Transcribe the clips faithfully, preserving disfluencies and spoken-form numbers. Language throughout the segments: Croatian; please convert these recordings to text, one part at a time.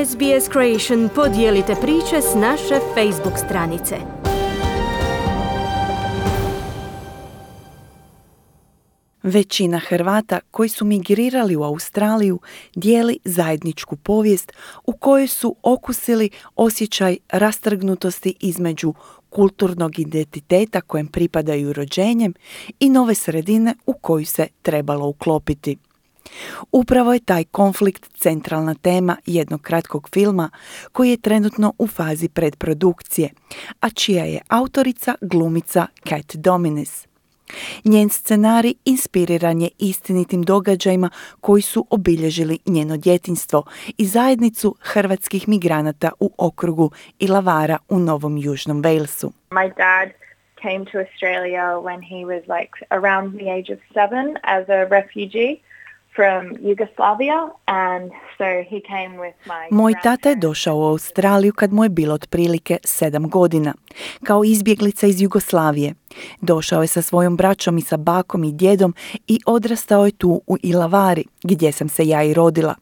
S B S Creation podijelite priče s naše Facebook stranice. Većina Hrvata koji su migrirali u Australiju dijeli zajedničku povijest u kojoj su okusili osjećaj rastrgnutosti između kulturnog identiteta kojem pripadaju rođenjem i nove sredine u koju se trebalo uklopiti. Upravo je taj konflikt centralna tema jednog kratkog filma koji je trenutno u fazi predprodukcije, a čija je autorica glumica Kat Dominis. Njen scenarij inspiriran je istinitim događajima koji su obilježili njeno djetinjstvo i zajednicu hrvatskih migranata u okrugu Illawarra u Novom Južnom Walesu. My dad came to Australia when he was like around the age of seven as a refugee from Yugoslavia, and so he came with my Moj tata je došao u Australiju kad mu je bilo otprilike sedam godina, kao izbjeglica iz Jugoslavije. Došao je sa svojom braćom i sa bakom i djedom i odrastao je tu u Illawarri, gdje sam se ja i rodila.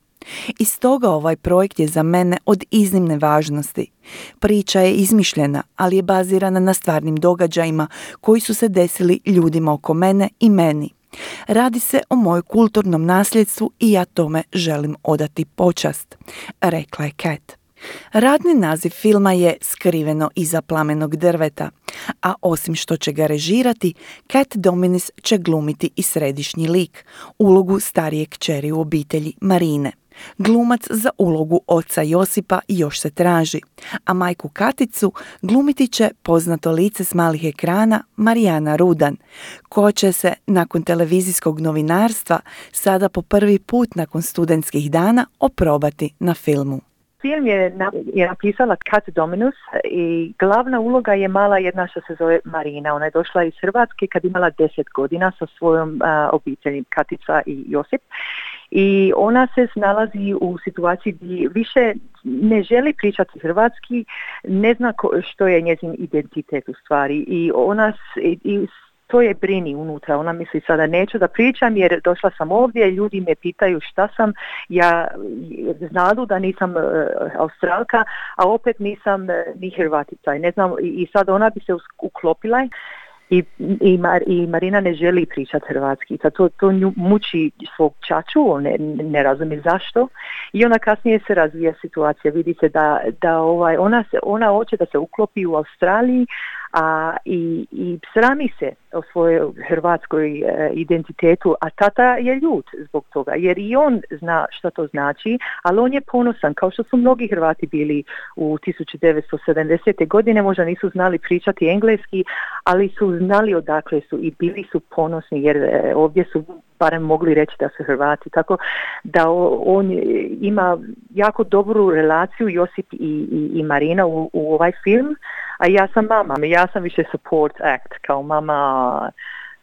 I stoga ovaj projekt je za mene od iznimne važnosti. Priča je izmišljena, ali je bazirana na stvarnim događajima koji su se desili ljudima oko mene i meni. Radi se o mojem kulturnom nasljedstvu i ja tome želim odati počast, rekla je Kat. Radni naziv filma je Skriveno iza plamenog drveta, a osim što će ga režirati, Kat Dominis će glumiti i središnji lik, ulogu starije kćeri u obitelji Marine. Glumac za ulogu oca Josipa još se traži, a majku Katicu glumiti će poznato lice s malih ekrana Marijana Rudan, koja će se nakon televizijskog novinarstva sada po prvi put nakon studentskih dana oprobati na filmu. Film je, je napisala Kat Dominis i glavna uloga je mala jedna što se zove Marina. Ona je došla iz Hrvatske kad imala deset godina sa svojom uh, obitelji Katica i Josip. I ona se nalazi u situaciji gdje više ne želi pričati hrvatski, ne zna ko, što je njezin identitet u stvari. I ona i, i to je brini unutra. Ona misli sada neću da pričam jer došla sam ovdje, ljudi me pitaju šta sam, ja znadu da nisam uh, Australka, a opet nisam uh, ni Hrvatica. I ne znam, i, i sad ona bi se uklopila. I, i, Mar, i Marina ne želi pričati hrvatski. To, to nju muči svog čaču, on ne, ne razumije zašto. I ona kasnije se razvija situacija. Vidi se da, da ovaj, ona, se, ona hoće da se uklopi u Australiji, a i, i srami se o svojoj hrvatskoj e, identitetu, a tata je ljut zbog toga, jer i on zna šta to znači, ali on je ponosan, kao što su mnogi Hrvati bili u tisuću devetsto sedamdesete godine, možda nisu znali pričati engleski, ali su znali odakle su i bili su ponosni, jer e, ovdje su barem mogli reći da su Hrvati, tako da on ima jako dobru relaciju, Josip i, i, i Marina u, u ovaj film, a ja sam mama, ja sam više support act, kao mama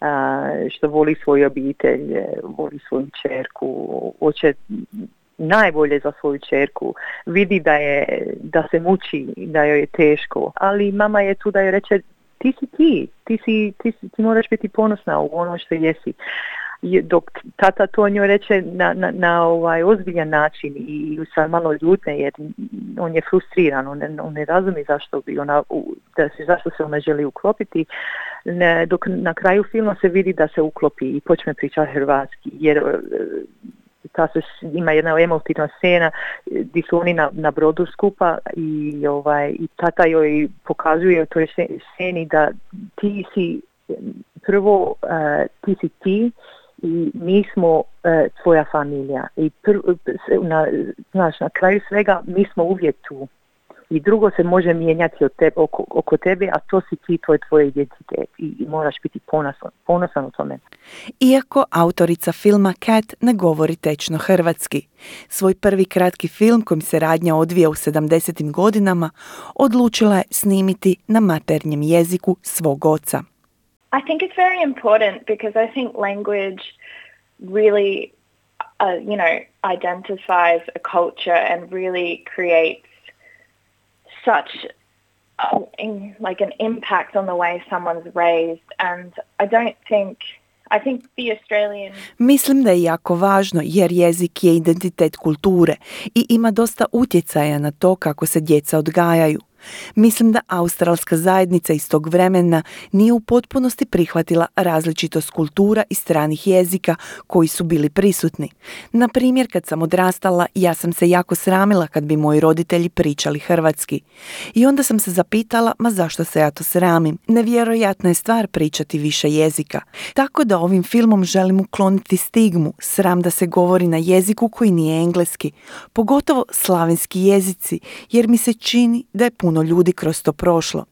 a, što voli svoju obitelj, voli svoju čerku, hoće najbolje za svoju čerku, vidi da, je, da se muči, da joj je teško, ali mama je tu da joj reče ti si ti, ti, si, ti, si, ti moraš biti ponosna u ono što jesi. Dok tata to njoj reče na, na, na ovaj ozbiljan način i sa malo ljutne jer on je frustriran, on ne, on ne razumije zašto bi ona, da se, zašto se ona želi uklopiti, ne, dok na kraju filma se vidi da se uklopi i počne pričati hrvatski, jer ta se, ima jedna emotivna scena gdje su oni na, na brodu skupa i, ovaj, i tata joj pokazuje u toj sceni da ti si prvo, uh, ti si ti i mi smo uh, tvoja familija i pr- na, znaš, na kraju svega mi smo uvijek tu i drugo se može mijenjati od tebe, oko, oko tebe, a to si ti, to je tvoj identitet i, i moraš biti ponosan, ponosan u tome. Iako autorica filma Kat ne govori tečno hrvatski, svoj prvi kratki film kojim se radnja odvija u sedamdesetim godinama odlučila je snimiti na maternjem jeziku svog oca. I think it's very important because I think language really, uh, you know, identifies a culture and really creates such uh, in, like an impact on the way someone's raised. And I don't think I think the Australian... Mislim da je jako važno jer jezik je identitet kulture i ima dosta utjecaja na to kako se djeca odgajaju. Mislim da australska zajednica iz tog vremena nije u potpunosti prihvatila različitost kultura i stranih jezika koji su bili prisutni. Na primjer, kad sam odrastala, ja sam se jako sramila kad bi moji roditelji pričali hrvatski. I onda sam se zapitala, ma zašto se ja to sramim? Nevjerojatna je stvar pričati više jezika. Tako da ovim filmom želim ukloniti stigmu, sram da se govori na jeziku koji nije engleski, pogotovo slavenski jezici, jer mi se čini da je puno ljudi kroz to prošlo.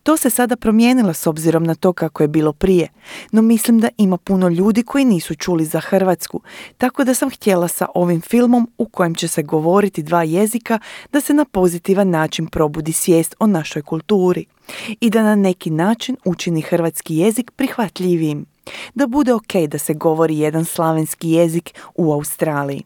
To se sada promijenilo s obzirom na to kako je bilo prije, no mislim da ima puno ljudi koji nisu čuli za Hrvatsku, tako da sam htjela sa ovim filmom u kojem će se govoriti dva jezika da se na pozitivan način probudi svijest o našoj kulturi i da na neki način učini hrvatski jezik prihvatljivijim, da bude ok da se govori jedan slavenski jezik u Australiji.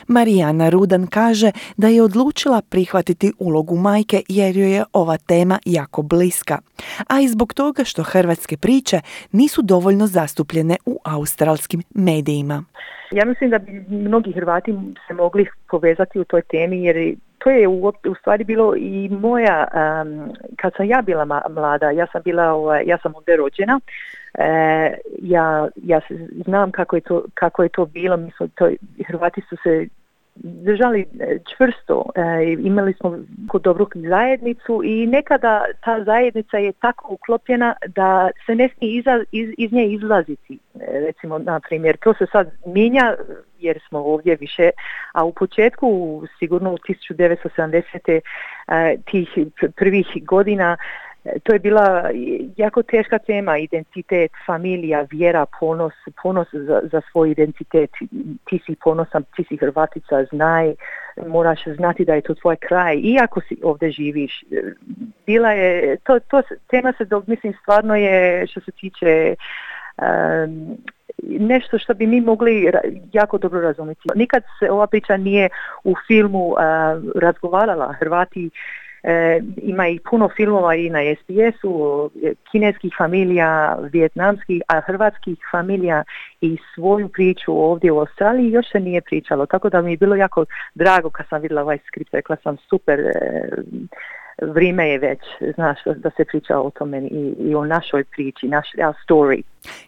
Marijana Rudan kaže da je odlučila prihvatiti ulogu majke jer joj je ova tema jako bliska, a i zbog toga što hrvatske priče nisu dovoljno zastupljene u australskim medijima. Ja mislim da bi mnogi Hrvati se mogli povezati u toj temi jer to je u, u stvari bilo i moja, um, kad sam ja bila ma, mlada, ja sam bila, ovaj, ja sam ovdje rođena, e, ja, ja znam kako je to, kako je to bilo, mi smo to, Hrvati su se držali čvrsto, e, imali smo dobru zajednicu i nekada ta zajednica je tako uklopljena da se ne smije iza, iz, iz nje izlaziti. E, recimo, na primjer, to se sad mijenja jer smo ovdje više, a u početku, sigurno u tisuću devetsto sedamdesete e, tih prvih godina, to je bila jako teška tema, identitet, familija, vjera, ponos, ponos za, za svoj identitet. Ti si ponosan, ti si Hrvatica, znaj, moraš znati da je to tvoj kraj, iako si ovdje živiš. Bila je, to, to tema se, mislim, stvarno je, što se tiče um, nešto što bi mi mogli jako dobro razumjeti. Nikad se ova priča nije u filmu uh, razgovarala. Hrvati E, ima i puno filmova i na es be esu, kineskih familija, vijetnamskih, a hrvatskih familija i svoju priču ovdje u Australiji još se nije pričalo. Tako da mi je bilo jako drago kad sam vidjela ovaj skript, rekla sam super, e, vrijeme je već, znaš, da se priča o tome i, i o našoj priči, naš our story.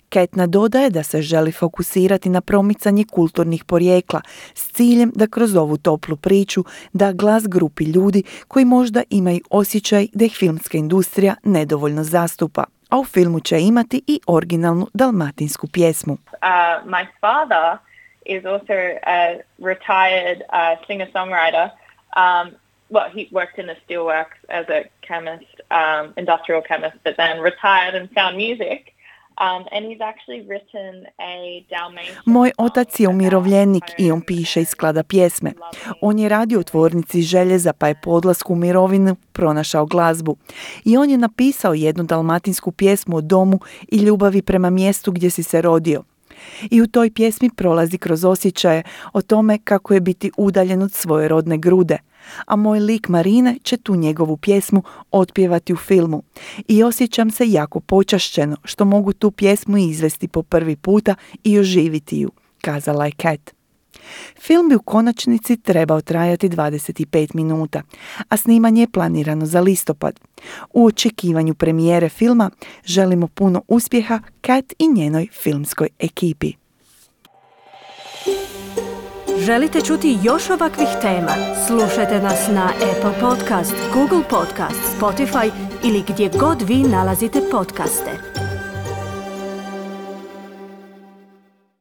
Kat nadodaje da se želi fokusirati na promicanje kulturnih porijekla s ciljem da kroz ovu toplu priču da glas grupi ljudi koji možda imaju osjećaj da ih filmska industrija nedovoljno zastupa. A u filmu će imati i originalnu dalmatinsku pjesmu. Uh, my father is also a retired uh, singer-songwriter. Um, well, he worked in the steelworks as a chemist, um, industrial chemist, but then retired and found music. Um, and he's actually written a Dalmatian... Moj otac je umirovljenik i on piše i sklada pjesme. On je radio u tvornici željeza pa je po odlasku u mirovinu pronašao glazbu. I on je napisao jednu dalmatinsku pjesmu o domu i ljubavi prema mjestu gdje si se rodio. I u toj pjesmi prolazi kroz osjećaje o tome kako je biti udaljen od svoje rodne grude. A moj lik Marine će tu njegovu pjesmu otpjevati u filmu. I osjećam se jako počašćeno što mogu tu pjesmu izvesti po prvi puta i oživiti ju, kazala je Kat. Film bi u konačnici trebao trajati dvadeset pet minuta, a snimanje je planirano za listopad. U očekivanju premijere filma želimo puno uspjeha Kat i njenoj filmskoj ekipi. Želite čuti još ovakvih tema? Slušajte nas na Apple Podcast, Google Podcast, Spotify ili gdje god vi nalazite podcaste.